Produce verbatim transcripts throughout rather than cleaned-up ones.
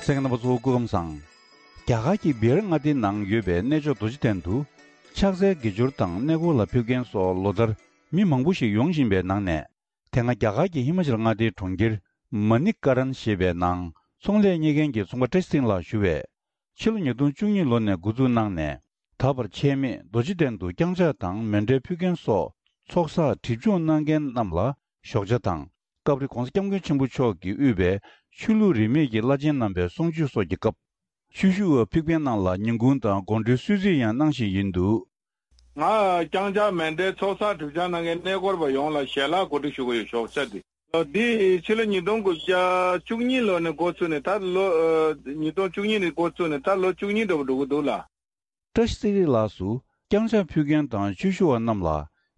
གསན་མཁན་རྣམ་པ་ཚོ་སྐུ་ཁམས་བཟང་། རྒྱ་གར་གྱི་བི་ཧར་མངའ་སྡེའི་ནང་ཡོད་པའི་གནས་མཆོག་རྡོ་རྗེ་གདན་དུ། ཕྱག་འཚལ་དགེ་སྦྱོར་དང་གནས་སྐོར་ལ་ཕེབས་མཁན་སོགས་ལོ་ལྟར་མི་མང་པོ་ཞིག་ཡོང་བཞིན་པའི་ནང་ནས། དེ་སྔ་རྒྱ་གར་གྱི་ཧི་མ་ཅལ་མངའ་སྡེའི་གྲོང་ཁྱེར་མ་ནི་ཀ་རན་ཞེས་པའི་ནང་ཚོང་ལས་གཉེར་མཁན་གྱི་ཚོང་པ་བཀྲ་ཤིས་སེང་ལགས་ཞུ་བས། ཕྱི་ལོ་ཉིས་སྟོང་བཅུ་གཉིས་ལོ་ནས་འགོ་འཛུགས་གནང་ནས། ད་བར་ཆད་མེད་རྡོ་རྗེ་གདན་དུ་བརྐྱངས་ཕྱག་དང་མཎྜལ་ཕུལ་མཁན་སོགས་ཚོགས་བསགས་སྒྲིབ་སྦྱོང་གནང་མཁན་རྣམས་ལ་ཞོགས་ཇ་དང་། སྐབས་རེ་༸གོང་ས་༸སྐྱབས་མགོན་ཆེན་པོ་མཆོག་གིས་དབུས་པའི་ཆོས་ལུགས་རིས་མེད་ཀྱི་བླ་ཆེན་རྣམ་པའི་གསུང་ཆོས་སོགས་ཀྱི་སྐབས། ཆོས་ཞུ་བ་ཕེབས་མཁན་རྣམས་ལ་ཉིན་གུང་དང་དགོང་དྲོའི་གསོལ་ཚིགས་ཡང་གནང་བཞིན་ཡིན་འདུག། ང་བརྐྱངས་ཕྱག་མཎྜལ་ཚོགས་བསགས་སྒྲིབ་སྦྱང་གནང་མཁན་གནས་སྐོར་བ་ཡོངས་ལ་ཞལ་ལག་གོ་སྒྲིག་ཞུ་གི་ཡོད། ཞོགས་ཇ་འདི། ལོ་འདི་ཕྱི་ལོ་ཉིས་སྟོང་དགུ་བརྒྱ་བཅུ་གཉིས་ལོ་ནས་འགོ་ཚུགས་ནས་ད་ལོ། ཨ། ཉིས་སྟོང་བཅུ་གཉིས་ནས་འགོ་ཚུགས་ནས་ད་ལོ་བཅུ་གཉིས་འདྲ་བོ་འགྲོ་གི་འདུག་ལ། བཀྲ་ཤིས་ཚེ་རིང་ལགས་སུ་བརྐྱངས་ཕྱག་ཕུལ་མཁན་དང་ཆོས་ཞུ་བ་རྣམས་ལ་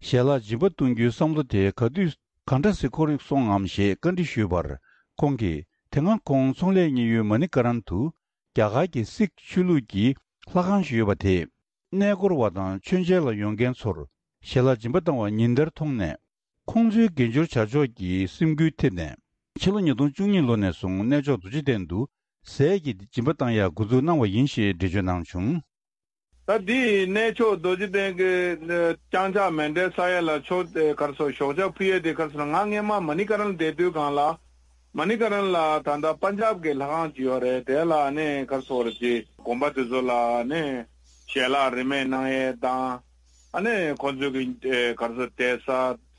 ཞལ་ལག་སྦྱིན་པ་གཏོང་རྒྱུའི་བསམ་བློ་དེ་ག་དུས་ག་འདྲ་སེ་འཁོར་སོང་ངམ་ཞེས་བཀའ་འདྲི་ཞུས་པར། ཁོང་གིས་དེ་སྔ་ཁོང་ཚོང་ལས་གཉེར་ཡུལ་མ་ནི་ཀ་རན་དུ་རྒྱ་གར་གྱི་སིག་ཆོས་ལུགས་ཀྱི་ལྷ་ཁང་ཞིག་ཡོད་པ་དེས། གནས་སྐོར་བ་དང་མཆོད་མཇལ་ལ་ཡོང་མཁན་ཚོར་ཞལ་ལག་སྦྱིན་པ་བཏང་བ་ཉིན་ལྟར་མཐོང་ནས། ཁོང་ཚོའི་དགེ་སྦྱོར་བྱ་ཕྱོགས་ཀྱི་སེམས་འགུལ་ཐེབས་ནས། ཕྱི་ལོ་ཉིས་སྟོང་བཅུ་གཉིས་ལོ་ནས་བཟུང་གནས་མཆོག་རྡོ་རྗེ་གདན་དུ་ཟས་ཀྱི་སྦྱིན་པ་བཏང་ཡག་འགོ་འཛུགས་གནང་བ་ཡིན་ཞེས་འགྲེལ་བརྗོད་གནང་བྱུང་། ད་འདི་གནས་མཆོག་རྡོ་རྗེ་གདན་གྱི་བརྐྱངས་ཕྱག་མཎྜལ་བསག་ཡས་ལ་ཆོག་ག་རེ་ཟེར། ཞོགས་ཇ་ཕུལ་ཡས་དེ་ག་རེ་ཟེར་ན། ང་སྔས་མ་མ་ནི་ཀ་རན་བསྡད་དུས་སྒང་ལ། མ་ནི་ཀ་རན་ལ་ད་ལྟ་པན་ཇབ་ཀྱི་ལྷ་ཁང་ཅིག་ཡོད་རེད། དེ་ལ་ནི་ག་རེ་ཟེར་ཅིག་དགོན་པ་དེ་ཚོ་ལ་ནི་ཞལ་ལག་རིན་མེད་གནང་ཡས་དང་། ཨ་ནི་ཁོང་ཚོའི་གི་ཨེ་ག་རེ་ཟེར། བསྡད་ས་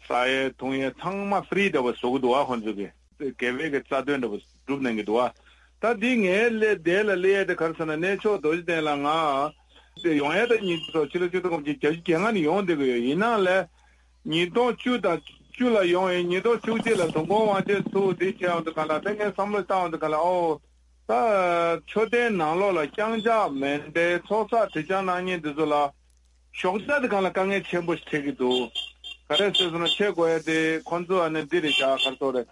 ཟ་ཡས་འཐུང་ཡས་ཚང་མ་ཧྥི་རི་འདྲ་བོ་བཟོ་གི་འདུག་བ། ཁོང་ཚོའི་གི་དགེ་བའི་གི་རྩ་དོན་འདྲ་བོ་སྒྲུབ་གནང་གི་འདུག་བ། ད་འདི་ངའི་སླེབས་དེ་ལ་སླེབས་ཡས་དེ་ག་རེ་ཟེར་ན། གནས་མཆོག་རྡོ་རྗེ་གདན་ལ་ང་དེ་ཡོང་ཡས་ད་ཉིན་ཚོ་ཕྱི་ལོ་ཆིག་སྟོང་དགུ་བརྒྱ་བརྒྱད་ཅུ་གྱ་ལྔ་ནས་ཡོང་བསྡད་ཀྱི་ཡོད། ཡིན་ནའང་ལས། ཉིས་སྟོང་བཅུ་དང་བཅུ་ལ་ཡོང་ཡིན། ཉིས་སྟོང་བཅུ་གཅིག་ལ་དུས་འཁོར་དབང་ཆེན་ཚུགས་འདི་བྱས་ཡོང་དུས་སྒང་ལ། ད་ངས་བསམ་བློ་བཏང་ཡོང་དུས་སྒང་ལ། ཨོ། ད་མཆོད་རྟེན་ནང་ལོགས་ལ་བརྐྱངས་ཕྱག་མཎྜལ་ཚོགས་བསགས་སྒྲིབ་སྦྱང་གནང་མཁན་འདི་ཚོ་ལ་ཞོགས་ཇ་དེ་སྒང་ལ་དཀའ་ངལ་ཆེན་པོ་ཞིག་འཕྲད་ཀྱི་འདུག། ག་རེ་ཟེར་སོང་ན། ཆེ་དགོས་ཡ་དེ་ཁོང་ཚོ་ཨ་ནི་འདི་རེད་ཤག། ག་རེ་ཟེར་རེད།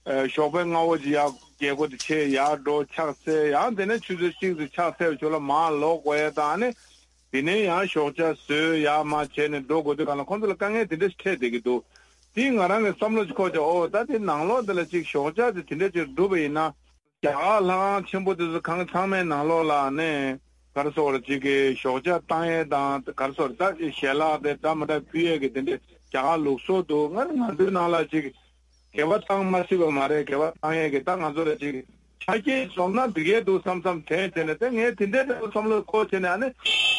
ཨ། ཞོགས་པའི་སྔ་པོ་ཅིག་ཡར་རྒྱལ་སྒོ་དེ་ཕྱེ་ཡར་འགྲོ་ཕྱག་འཚལ། ཡང་དེ་ནས་ཆུ་ཚོད་གཅིག་ཙམ་ཕྱག་འཚལ་བའི་ཞོར་ལ་མར་ལོག་དགོས་ཡ་དང་། ཨ་ནི་དེ་ནས་ཡང་ཞོགས་ཇ་ཟོས་ཡར་མར་བྱས་ནས་འགྲོ་དགོས་དུས་སྒང་ལ་ཁོང་ཚོ་ལ་དཀའ་ངལ་དེ་འདྲ་ཞིག་འཕྲད་བསྡད་ཀྱི་འདུག། དེས་ང་རང་གི་བསམ་བློ་ཅིག་འཁོར་བྱས། ཨོ། ད་དེ་ནང་ལོགས་དེ་ལ་ཅིག་ཞོགས་ཇ་དེ་དེ་འདྲ་ཅིག་བསྒྲུབས་པ་ཡིན་ན། རྒྱ་གར་ལྷ་ཁང་ཆེན་པོ་དེ་ཚོ་གང་ཚང་མའི་ནང་ལོགས་ལ་ནི་ག་རེ་ཟེར་རེད། ཅིག་གི་ཞོགས་ཇ་བཏང་ཡས་དང་། ག་རེ་ཟེར་རེད། ད་ཞལ་ལག་དེ་འདྲ་མི་འདྲ་ཕུལ་ཡས་ཀྱི་དེ་འདྲའི་རྒྱ་གར་ལུགས་སྲོལ་འདུག། ང་ང་ཚོའི་ནང་ལ་ཅིག་འགལ་བ་བཏང་མ་སྲིད་པ་མ་རེད། འགལ་བ་བཏང་ཡས་ཀྱི་ད་ང་ཚོ་ལ་ཅིག་ཆ་རྐྱེན་འཛོམས་ན་འགྲིག་གི་འདུག་བསམ་བསམ་དྲན་བྱས་ནས། དེ་ངས་དེ་འདྲའི་འདྲ་བོ་བསམ་བློ་འཁོར་བྱས་ནས། ཨ་ནི་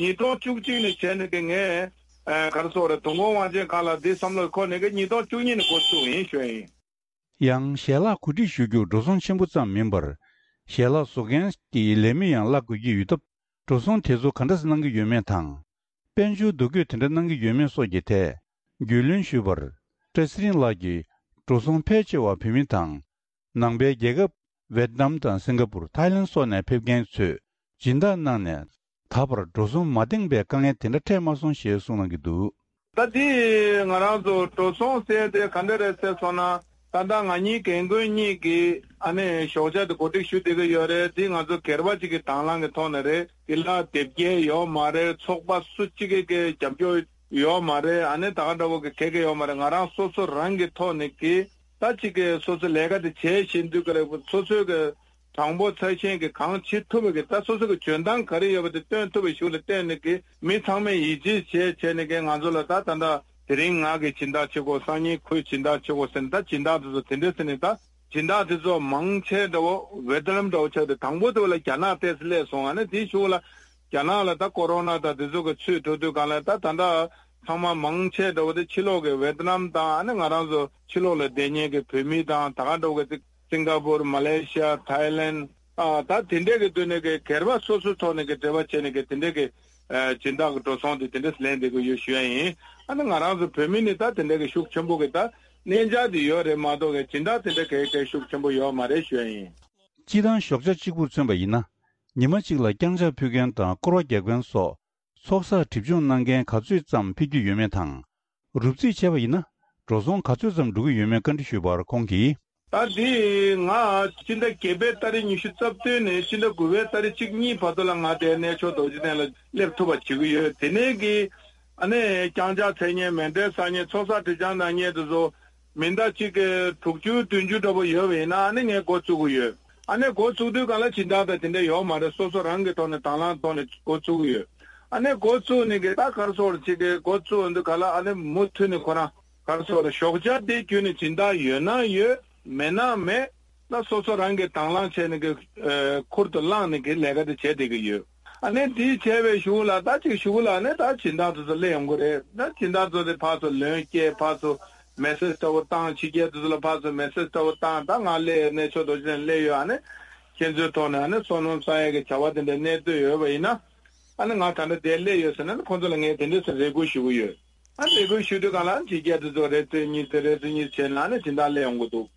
ཉིས་སྟོང་བཅུ་གཅིག་ནས་བྱས་ནས་ཀྱི་ངས། ཨ། ག་རེ་ཟེར་རེད། དུས་འཁོར་དབང་ཆེན་སྒང་ལ་འདི་བསམ་བློ་འཁོར་ནས་ཀྱི་ཉིས་སྟོང་བཅུ་གཉིས་ནས་འགོ་བཙུགས་ཡིན་ཞུ་ཡ་ཡིན། ཡང་ཞལ་ལག་གོ་སྒྲིག་ཞུ་རྒྱུ་འགྲོ་སོང་ཆེན་པོ་ཙམ་མིན་པར། ཞལ་ལག་བཟོ་མཁན་གྱི་ལས་མི་ཡང་གླ་དགོས་ཀྱི་ཡོད་སྟབས། འགྲོ་སོང་དེ་ཚོ་ག་འདྲ་གནང་གི་ཡོད་མེད་དང་། དཔལ་འབྱོར་འདུ་འགོད་དེ་འདྲ་གནང་གི་ཡོད་མེད་སོགས་ཀྱི་ཐད་རྒྱུས་ལོན་ཞུས་པར། བཀྲ་ཤིས་ཚེ་རིང་ལགས་ཀྱིས། འགྲོ་སོང་ཕལ་ཆེ་བ་བོད་མི་དང་། ནང་པའི་རྒྱལ་ཁབ་ཝེ་ཏི་ནམ་དང་སིང་ག་པུར། ཐའི་ལན་སོགས་ནས་ཕེབས་མཁན་ཚོས་སྦྱིན་བདག་གནང་ནས། ད་བར་འགྲོ་སོང་མ་འདང་བའི་དཀའ་ངལ་དེ་འདྲ་འཕྲད་མ་སོང་ཞེས་གསུངས་གནང་གི་འདུག། ད་དེ་ང་རང་ཚོ་འགྲོ་སོང་ཟེར་དེ་ག་འདྲ་རེད་ཟེར་སོང་ན། ད་ལྟ་ང་གཉིས་རྒན་རྒོན་གཉིས་ཀྱིས་ཨ་ནི་ཞོགས་ཇ་དེ་གོ་སྒྲིག་ཞུ་བསྡད་ཀྱི་ཡོད་རེད། དེ་ང་ཚོ་སྒེར་པ་གཅིག་གི་དང་བླངས་ཀྱི་ཐོག་ནས་རེད། དེ་ལ་དེབ་སྐྱེལ་ཡོད་མ་རེད། ཚོགས་པ་སུ་གཅིག་གི་གི་རྒྱབ་སྐྱོར་ཡོད་མ་རེད། ཨ་ནི་ད་ག་འདྲ་བོ་གི་ག་གེ་ཡོད་མ་རེད། ང་རང་སོ་སོ་རང་གི་ཐོག་ནས་ཀྱི་ད་གཅིག་གི་སོ་སོ་ལས་ཀ་དེ་བྱས་བཞིན་དུས་ཀ་རེད། སོ་སོའི་གི་དྲང་པོ་ཚ་ཞེན་གྱི་གང་བྱེད་ཐུབ་པ་གི་ད་སོ་སོ་གི་འཇོན་ཐང་ག་རེ་ཡོད་པ་དེ་སྟོན་ཐུབ་པའི་ཤུགས་ལ་བརྟེན་ནས་གི་མི་ཚང་མས་ཡིད་ཆེས་བྱས་བྱས་ནས་གི་ང་ཚོ་ལ་ད་ད་ད་དེ་རིང་ང་གི་སྦྱིན་བདག་བྱེད་དགོས། སང་ཉིན་ཁོས་སྦྱིན་བདག་བྱེད་དགོས་ཟེར་ནས། ད་སྦྱིན་བདག་དེ་ཚོ་དེ་འདྲས་ཟེར་ནས། ད་སྦྱིན་བདག་དེ་ཚོ་མང་ཆེ་འདྲ་བོ་ཝེ་ཏི་ནམ་འདྲ་བོ་ཆགས་ཏེ། དང་པོ་དེ་བ་ལ་རྒྱ་ནག་ཏོག་ཙམ་སླེབས་སོང་། ཨ་ནི་དེའི་གཞུག་ལ་རྒྱ་ནག་ལ་ད་ཀོ་རོ་ན་དང་དེ་ཚོ་གི་ཚུད་འགྲོ་དུས་སྒང་ལ། ད་ད་ད་ཚང་མ་མང་ཆེ་འདྲ་བོ་དེ་ཕྱི་ལོགས་ཀྱི་ཝེ་ཏི་ནམ་དང་། ཨ་ནི་ང་རང་ཚོ་ཕྱི་ལོགས་ལ་བསྡད་མཁན་གྱི་བོད་མི་དང་། ད་ག་འདྲ་བོ་གི་སིང་ག་པུར། མ་ལེ་ཤི་ཡ། ཐའི་ལན། ཨ། ད་དེ་འདྲས་ཀྱི་སྡོད་གནས་ཀྱི་སྒེར་པ་སོ་སོའི་ཐོག་ནས་ཀྱི་འབྲེལ་བ་བྱས་ནས་ཀྱི་དེ་འདྲས་ཀྱི་ཨ་སྦྱིན་བདག་གི་འགྲོ་སོང་དེ་དེ་འདྲས་ལེན་བསྡད་ཀྱི་ཡོད་ཞུ་ཡ་ཡིན། ཨ་ནི་ང་རང་ཚོ་བོད་མི་ནི་ད་དེ་འདྲས་ཀྱི་ཤུགས་ཆེན་པོ་གི་ད་གནས་འཇགས་དེ་ཡོད་རེད་མ་གཏོགས་ཀྱི་སྦྱིན་བདག་དེ་འདྲས་གའི་གའི་ཤུགས་ཆེན་པོ་ཡོད་མ་རེད་ཞུ་ཡ་ཡིན། སྤྱིར་བཏང་ཞོགས་ཇ་གཅིག་པུར་མཚོན་པ་ཡིན་ན། ཉི་མ་གཅིག་ལ་བརྐྱངས་ཕྱག་ཕུལ་མཁན་དང་སྐོར་བ་རྒྱག་མཁན་སོགས། ཚོགས་བསགས་སྒྲིབ་སྦྱོང་གནང་མཁན་ག་ཚོད་ཙམ་ཕེབས་ཀྱི་ཡོད་མེད་དང་། རོབ་རྩིས་བྱས་པ་ཡིན་ན། འགྲོ་སོང་ག་ཚོད་ཙམ་འགྲོ་གི་ཡོད་མེད་བཀའ་འདྲི་ཞུས་པར་ཁོང་གིས། ད་འདི་ང་སྤྱི་ཟླ་བརྒྱད་པའི་ཏ་རིག་ཉི་ཤུ་རྩ་བདུན་ནས་སྤྱི་ཟླ་དགུ་པའི་ཏ་རིག་གཅིག་གཉིས་བར་དུ་ལ་ང་དེ་གནས་མཆོག་རྡོ་རྗེ་གདན་ལ་སླེབས་ཐུབ་པ་བྱེད་ཀྱི་ཡོད། དེ་ནས་ཀྱི་ཨ་ནི་བརྐྱངས་ཕྱག་འཚལ་མཁན། མཎྜལ་བསགས་མཁན། ཚོགས་བསགས་སྒྲིབ་སྦྱང་གནང་མཁན་དེ་ཚོ་མི་ཟླ་གཅིག་གི་དྲུག་ཅུ་བདུན་ཅུ་འདྲ་པོ་ཡོད་པ་ཡིན་ན། ཨ་ནི་ངས་འགོ་བཙུགས་ཀྱི་ཡོད། ཨ་ནི་འགོ་བཙུགས་དུས་སྒང་ལ་སྦྱིན་བདག་དང་དེ་འདྲ་ཡོད་མ་རེད། སོ་སོ་རང་གི་ཐོག་ནས་དང་བླངས་ཐོག་ནས་འགོ་བཙུགས་ཀྱི་ཡོད། ཨ་ནི་འགོ་བཙུགས་ནས་གི་ད་ག་རེ་ཟེར་དགོས་རེད། ཅིག་གི་འགོ་བཙུགས་འདུག་ག་ལ། ཨ་ནི་མུ་མཐུད་ནས་ཁོ་རང་ག་རེ་ཟེར་དགོས་རེད། ཞོགས་ཇ་དེ་བརྒྱུད་ནས་སྦྱིན་བདག་ཡོད་ན་ཡོད། མེད་ན་མེད། ད་སོ་སོ་རང་གིས་དང་བླངས་བྱས་ནས་གི་ཨ་ཁུར་དུ་བླངས་ནས་གི་ལས་ཀ་དེ་བྱས་བསྡད་ཀྱི་ཡོད། ཨ་ནི་དེ་བྱས་པའི་གཞུག་ལ་ད་ཅིག་གཞུག་ལ་ནི་ད་སྦྱིན་བདག་དེ་ཚོ་སླེབས་ཡོང་གི་རེད། ད་སྦྱིན་བདག་ཚོ་དེ་ཕར་ཚུར་ལན་སྐྱེལ། ཕར་ཚུར་མེ་སེ་ཇི་འདྲ་བོ་བཏང་། ཕྱི་རྒྱལ་དེ་ཚོ་ལ་ཕར་ཚུར་མེ་སེ་ཇི་འདྲ་བོ་བཏང་། ད་ང་སླེབས་ཡོད། གནས་མཆོག་རྡོ་རྗེ་གདན་སླེབས་ཡོད། ཨ་ནི་ཁྱེད་ཚོའི་ཐོག་ནས་ཨ་ནི་བསོད་ནམས་བསག་ཡས་ཀྱི་བྱ་བ་དེ་འདྲ་གནས་སྡོད་ཡོད་པ་ཡིན་ན། ཨ་ནི་ང་ད་ལྟ་འདིར་སླེབས་ཡོད་ཟེར་ན་ནི་ཁོང་ཚོ་ལ་ངས་དེ་འདྲ་ཟེར་རེ་སྐུལ་ཞུ་གི་ཡོད། ཨ་རེ་སྐུལ་ཞུ་དུས་སྒང་ལ་ཕྱི་རྒྱལ་དེ་ཚོ་རེ་ཚེ་གཉིས་ཚེ་རེ་ཚེ་གཉིས་བྱས་ན་ཨ་ནི་སྦྱིན་བདག་སླེབས་ཡོང་གི་འདུག།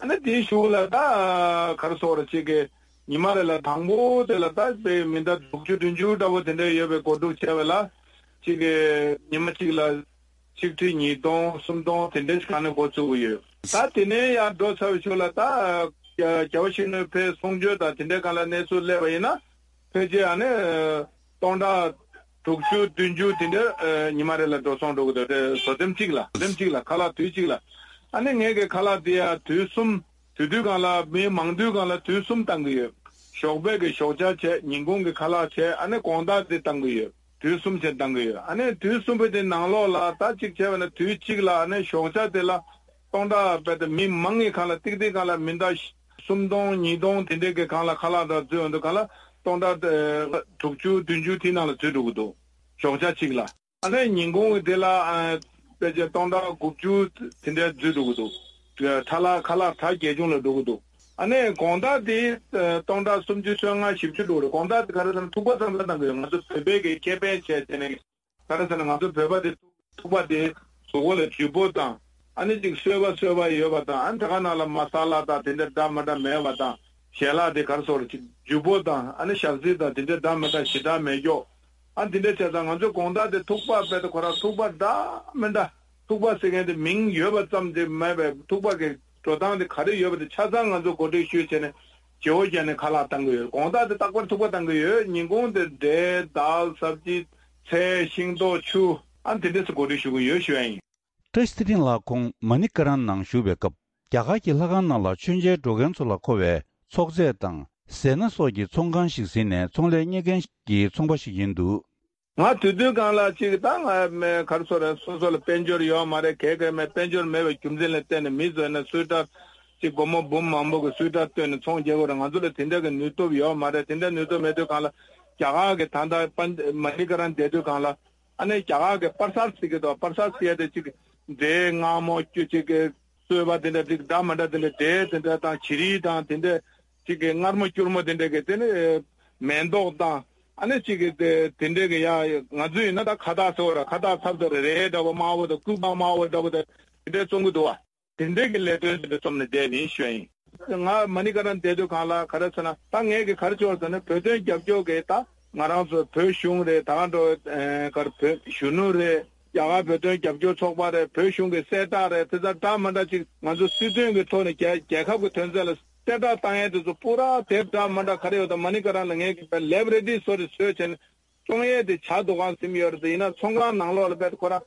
ཨ་ནི་དེའི་གཞུག་ལ་ད་ག་རེ་ཟེར་དགོས་རེད། ཅིག་གི་ཉི་མ་རེ་ལ་དང་པོ་དེ་ལ་ད་དཔེ་མི་ཟླ་དྲུག་ཅུ་བདུན་ཅུ་འདྲ་བོ་དེ་འདྲ་ཡོད་པའི་འགོ་འཛུགས་བྱས་པ་ལ། ཅིག་གི་ཉི་མ་གཅིག་ལ་ཆིག་ཁྲི་ཉིས་སྟོང་སུམ་སྟོང་དེ་འདྲ་ཞིག་གང་ནས་འགོ་བཙུགས་ཀྱི་ཡོད། ད་དེ་ནས་ཡར་འགྲོ་ཚར་བའི་གཞུག་ལ་ད་རྒྱལ་བ་ཡིད་བཞིན་ནོར་བུའི་གསུང་ཆོས་དང་དེ་འདྲ་སྒང་ལ་གནས་ཚུལ་སླེབས་པ་ཡིན་ན། ཕལ་ཆེར་ཨ་ནི་སྟོང་ཕྲག་དྲུག་ཅུ་བདུན་ཅུ་དེ་འདྲ་ཨ་ཉི་མ་རེ་ལ་འགྲོ་སོང་འགྲོ་གི་འདུག། དེ་བཟོ་ཐེངས་གཅིག་ལ། བཟོ་ཐེངས་གཅིག་ལ། ཁ་ལག་དུས་གཅིག་ལ། ཨ་ནི་ངས་ཀྱི་ཁ་ལག་དེ་ཡང་དུས་གསུམ། དུས་དུས་སྒང་ལ་མི་མང་དུས་སྒང་ལ་དུས་གསུམ་བཏང་གི་ཡོད། ཞོགས་པའི་གི་ཞོགས་ཇ་བྱས། ཉིན་གུང་གི་ཁ་ལག་བྱས། ཨ་ནི་དགོང་དག་དེ་བཏང་གི་ཡོད། དུས་གསུམ་བྱས་བཏང་གི་ཡོད། ཨ་ནི་དུས་གསུམ་པོ་དེ་ནང་ལོགས་ལ་ད་གཅིག་བྱས་པ་ན་དུས་གཅིག་ལ་ཨ་ནི་ཞོགས་ཇ་དེ་ལ་སྟོང་ཕྲག་རྦད་དེ་མི་མང་གི་སྒང་ལ་ཏིག་ཏིག་སྒང་ལ་མི་ཟླ་སུམ་སྟོང་ཉིས་སྟོང་དེ་འདྲའི་གི་སྒང་ལ་ཁ་ལག་འདྲ་འཛུལ་ཡོང་དུས་སྒང་ལ་སྟོང་ཕྲག་ཨ་དྲུག་ཅུ་བདུན་ཅུ་དེའི་ནང་ལ་འཛུལ་འགྲོ་གི་འདུག། ཞོགས་ཇ་གཅིག་ལ། ཨ་ནི་ཉིན་གུང་གི་དེ་ལ་ཨ་ཕལ་ཆེར་སྟོང་ཕྲག་དགུ་བཅུ་དེ་འདྲ་འཛུལ་འགྲོ་གི་འདུག། ཁ་ལག་ཁ་ལག་གྲ་རྒྱས་ཆུང་ལ་འགྲོ་གི་འདུག། ཨ་ནི་དགོང་དག་དེ་ཨ་སྟོང་ཕྲག་སུམ་ཅུ་སོ་ལྔ་བཞི་བཅུ་འགྲོ་གི་རེད། དགོང་དག་དེ་ག་རེ་ཟེར་ན་ཐུག་པ་ཙམ་ཙམ་བཏང་གི་ཡོད། ང་ཚོ་བོད་པའི་གི་ཁེ་ཕན་བྱས་བྱས་ནས། ག་རེ་ཟེར་ན་ང་ཚོ་བོད་པ་དེ་ཐུག་པ་དེ་གཟུགས་པོ་ལ་ལྗིད་པོ་དང་། ཨ་ནི་ཅིག་སོས་པ་སོས་པ་ཡོད་པ་དང་། ཨ་ནི་དེ་ག་ནང་ལ་མ་ས་ལ་དང་དེ་འདྲ་འདྲ་མི་འདྲ་མེད་པ་དང་། ཞལ་ལག་དེ་ག་རེ་ཟེར་དགོས་རེད། ཅིག་ལྗིད་པོ་དང་། ཨ་ནི་ཞག་ཚི་དང་དེ་འདྲ་འདྲ་མི་འདྲ་ཞེ་དྲག་མེད་ཀྱོག། ཨ་འདི་འདྲ་བྱས་ཙང་ང་ཚོ་དགོང་དག་དེ་ཐུག་པ་དཔེ་དེ་ཁོ་རང་ཐུག་པ་འདྲ་མི་འདྲ། ཐུག་པ་ཟེར་མཁན་དེ་མིང་ཡོད་པ་ཙམ་དེ་མེད་པའི་ཐུག་པ་གི་འགྲོ་སྟངས་དེ་ག་རེ་ཡོད་པ་དེ་ཆ་ཚང་ང་ཚོ་གོ་སྒྲིག་ཞུས་བྱས་ནས་བརྗེ་བོ་བརྒྱབ་ནས་ཁ་ལག་བཏང་གི་ཡོད། དགོང་དག་དེ་རྟག་པར་ཐུག་པ་བཏང་གི་ཡོད། ཉིན་གུང་དེ་འབྲས་དལ་སབ་ཇི་ཚལ་ཤིང་ཏོག་ཆུ། ཨ་འདི་འདྲས་སུ་གོ་སྒྲིག་ཞུ་གི་ཡོད་ཞུ་ཡ་ཡིན། བཀྲ་ཤིས་ཚེ་རིང་ལགས་ཁོང་མ་ནི་ཀ་རན་ནང་བཞུགས་པའི་སྐབས། རྒྱ་གར་གྱི་ལྷ་ཁང་ནང་ལ་མཆོད་མཇལ་འགྲོ་མཁན་ཚོ་ལ་མཁོ་བའི་ཚོགས་རྫས་དང་ཟས་སྣ་སོགས་ཀྱི་ཚོང་ཁང་ཞིག་ཟིན་ནས་ཚོང་ལས་གཉེར་མཁན་གྱི་ཚོང་པ་ཞིག་ཡིན་འདུག། ང་དུས་དུས་སྒང་ལ་ཅིག་ད་ང་མེད་ག་རེ་ཟེར་དགོས་རེད། སོ་སོ་ལ་དཔལ་འབྱོར་ཡོད་མ་རེད། ག་གེ་མེད། དཔལ་འབྱོར་མེད་པའི་རྒྱུ་མཚན་ལ་བརྟེན་ནས་མི་ཚོས་ན་སུའི་ཊར་ཅིག་སྒོར་མོ་འབུམ་མང་པོ་གི་སུའི་ཊར་བཏོན་ནས་ཚོང་རྒྱག་དགོས་རེད། ང་ཚོ་ལ་དེ་འདྲ་གི་ནུས་སྟོབས་ཡོད་མ་རེད། དེ་འདྲ་ནུས་སྟོབས་མེད་དུས་སྒང་ལ་རྒྱ་གར་གྱི་ད་ལྟ་པན་མ་ནི་ཀ་རན་བསྡད་དུས་སྒང་ལ། ཨ་ནི་རྒྱ་གར་གྱི་པར་སར་ཟེར་གྱི་འདུག། པར་སར་ཟེར་ཡ་དེ་ཅིག་འབྲས་མངར་མོ་ཅིག་གི་སོས་པ་དེ་འདྲ་ཅིག་འདྲ་མི་འདྲ་དེ་འདྲ། འབྲས་དེ་འདྲ་དང་བྱི་རིལ་དང་དེ་འདྲ་ཅིག་གི་མངར་མོ་སྐྱུར་མོ་དེ་འདྲ་གི་དེ་ནི་མེ་ཏོག་དང་། ཨ་ནི་ཅིག་གི་དེ་དེ་འདྲ་གི་ཡ་ང་ཚོ་ཡིན་ན་ད་ཁ་བཏགས་ཟེར་བ་ར། ཁ་བཏགས་ཚབ་ཏུ་རེ་རེ་འདྲ་བོ་དམར་པོ་དང་སྐུད་པ་དམར་པོ་འདྲ་བོ་དང་དེ་འདྲ་བཙོང་གི་འདུག་བ། དེ་འདྲའི་གི་ལས་དོན་དེ་འདྲ་རྩོམ་ནས་བསྡད་ནི་ཞུ་ཡ་ཡིན། ང་མ་ནི་ཀ་རན་བསྡད་དུས་སྒང་ལ་ག་རེ་ཟེར་ན། ད་ངས་གི་ག་རེ་བྱས་ཟེར་ན། བོད་དོན་རྒྱབ་སྐྱོར་གི་ད་ང་རང་ཚོ་བོད་གཞུང་རེད། ད་ག་འགྲོ་ཨེ་ག་རེ་བོད་གཞོན་ནུ་རེད། རྒྱ་གར་བོད་དོན་རྒྱབ་སྐྱོར་ཚོགས་པ་རེད། བོད་གཞུང་གི་གསལ་བསྒྲགས་རེད། དེ་ཚོ་འདྲ་མི་འདྲ་ཅིག་ང་ཚོ་སྲིད་དོན་གི་ཐོག་ནས་རྒྱལ་རྒྱལ་ཁབ་གི་དོན་ཚན་ལ་གསལ་བསྒྲགས་བཏང་ཡས་དེ་ཚོ་པུ་ར་དེབ་འདྲ་མི་འདྲ་ག་རེ་ཡོད་དང་། མ་ནི་ཀ་རན་ལ་ངས་གི་ལེབ་རེ་ཌི་སོ་རེ་བཟོས་བྱས་ནས་བཙོང་ཡས་དེ་བྱ་འདུག་གང་ཟིན་ཡོད་རེད། དེ་ཡིན་ན་ཚོང་ཁང་ནང་ལོགས་ལ་བས་ཁོ་རང་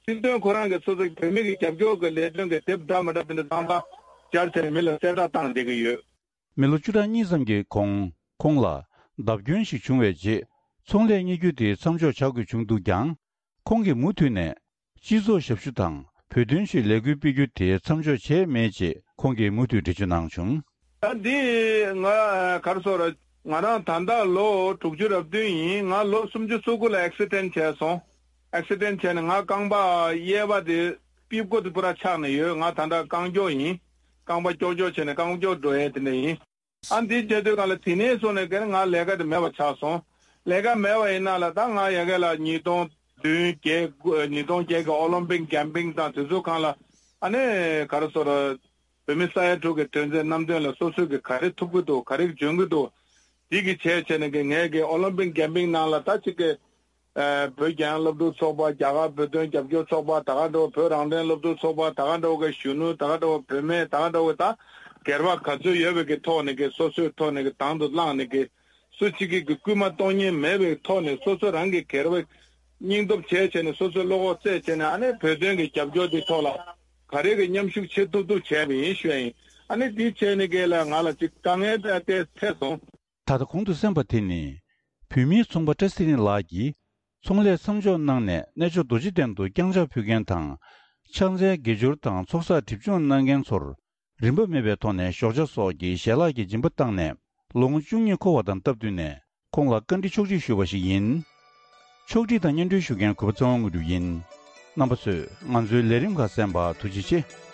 སྲིད་དོན་ཁོ་རང་གི་སོ་སོ་བོད་མི་གི་རྒྱབ་སྐྱོར་གི་ལས་དོན་གི་དེབ་འདྲ་མི་འདྲ་དེ་འདྲ་བཏང་སྟངས་སྦྱར་བྱས་ནས་མི་ལ་གསལ་བསྒྲགས་བཏང་བསྡད་ཀྱི་ཡོད། མི་ལོ་བཅུ་ཕྲག་གཉིས་ཙམ་གྱི་གོང་ཁོང་ལ་བརྡབ་སྐྱོན་ཞིག་བྱུང་བའི་རྗེས་ཚོང་ལས་གཉེར་རྒྱུ་དེ་མཚམས་འཇོག་བྱ་དགོས་བྱུང་འདུག་ཀྱང་། ཁོང་གིས་མུ་མཐུད་ནས་སྤྱི་ཚོགས་ཞབས་ཞུ་དང་བོད་དོན་ཆེད་ལས་འགུལ་སྤེལ་རྒྱུ་དེ་མཚམས་འཇོག་བྱས་མེད་ཅེས་ཁོང་གིས་མུ་མཐུད་འགྲེལ་བརྗོད་གནང་བྱུང་། ད་འདི་ང་ག་རེ་ཟེར་དགོས་རེད། ང་རང་ད་ལྟ་ལོ་དྲུག་ཅུ་རེ་བདུན་ཡིན། ང་ལོ་སུམ་ཅུ་སོ་དགུ་ལ་ཨེག་སི་ཌེན་ཊི་བྱས་སོང་། ཨེག་སི་ཌེན་ཊི་བྱས་ནས་ང་རྐང་པ་གཡས་པ་དེ་པིབ་ཀོ་དེ་པུ་ར་ཆག་ནས་ཡོད། ང་ད་ལྟ་རྐང་མགྱོགས་ཡིན། རྐང་པ་ཀྱོག་ཀྱོག་བྱས་ནས་རྐང་མགྱོགས་འགྲོ་ཡས་དེ་འདྲ་ཡིན། ཨ་འདི་བྱས་དུས་སྒང་ལ་དེ་ནས་བཟུང་ནས་ཀྱང་ང་ལས་ཀ་དེ་མེད་པ་ཆགས་སོང་། ལས་ཀ་མེད་པ་ཡིན་ན་ལ་ད་ང་ཡ་གི་ལ་ཉིས་སྟོང་བདུན་བརྒྱད་དགུ་ཉིས་སྟོང་བརྒྱད་ཀྱི་ཨོ་ལིམ་པིག་ཀེམ་པིང་དང་དེ་ཚོ་སྒང་ལ་ཨ་ནི་ག་རེ་ཟེར་དགོས་རེད། བོད་མི་ས་ཡ་དྲུག་གི་དོན་ཚན་རྣམ་དོན་ལ་སོ་སོས་ཀྱི་ག་རེ་ཐུབ་ཀྱི་འདུག། ག་རེ་འཇོན་གྱི་འདུག། འདི་གི་བྱས་བྱས་ནས་ཀྱི་ངས་ཀྱི་ཨོ་ལིམ་པིག་ཀེམ་པིང་ནང་ལ་ད་ཅིག་གི་ཨ་བོད་རྒྱལ་ཡོངས་སློབ་ཕྲུག་ཚོགས་པ། རྒྱ་གར་བོད་དོན་རྒྱབ་སྐྱོར་ཚོགས་པ། ད་ག་འདྲ་བོ་བོད་རང་བཙན་སློབ་ཕྲུག་ཚོགས་པ། ད་ག་འདྲ་བོ་གི་གཞོན་ནུ། ད་ག་འདྲ་བོ་བུད་མེད། ད་ག་འདྲ་བོ་ད་སྒེར་པ་ག་ཚོད་ཡོད་པའི་གི་ཐོག་ནས་ཀྱི་སོ་སོའི་ཐོག་ནས་ཀྱི་དང་དུ་བླངས་ནས་ཀྱི་སུ་གཅིག་གིས་ཀྱི་སྐུལ་མ་གཏོང་མཁན་མེད་པའི་ཐོག་ནས་སོ་སོ་རང་གི་སྒེར་པ་སྙིང་སྟོབས་བྱས་བྱས་ནས་སོ་སོའི་བློ་ཁོག་རྩལ་བྱས་ནས་ཨ་ནི་བོད་དོན་གྱི་རྒྱབ་སྐྱོར་འདི་ཐོག་ལ་ག་རེ་གི་མཉམ་ཞུགས་བྱེད་ཐུབ་ཐུབ་བྱས་པ་ཡིན་ཞུ་ཡ་ཡིན། ཨ་ནི་དེ་བྱས་ནས་གས་ལ་ང་ལ་ཅིག་དཀའ་ངལ་དེ་འཕྲད་སོང་། ད་ལྟ་གོང་དུ་གསན་པ་དེ་ནི། བོད་མིའི་ཚོང་པ་བཀྲ་ཚེ་རིང་ལགས་ཀྱིས། ཚོང་ལས་མཚམས་འཇོག་གནང་ནས་གནས་མཆོག་རྡོ་རྗེ་གདན་དུ་བརྐྱངས་ཕྱག་ཕུལ་མཁན་དང་། ཕྱག་འཚལ་དགེ་སྦྱོར་དང་ཚོགས་བསགས་སྒྲིབ་སྦྱོང་གནང་མཁན་ཚོར། རིན་པ་མེད་པའི་ཐོག་ནས་ཞོགས་ཇ་སོགས་ཀྱི་ཞལ་ལག་གི་སྦྱིན་པ་བཏང་ནས། ལོ་ངོ་བཅུ་གཉིས་འཁོར་བ་དང་སྟབས་བསྟུན་ནས། ཁོང་ལ་བཀའ་འདྲི་ཕྱོགས་སྒྲིག་ཞུས་པ་ཞིག་ཡིན། ཕྱོགས་སྒྲིག་དང་སྙན་སྒྲོན་ཞུ་མཁན་གུས་པ་ཚེ་དབང་དངོས་གྲུབ་ཡིན། རྣམ་པ་ཚོས་ང་ཚོའི་ལས་རིམ་ཁག་གསན་པར་ཐུགས་རྗེ་ཆེ།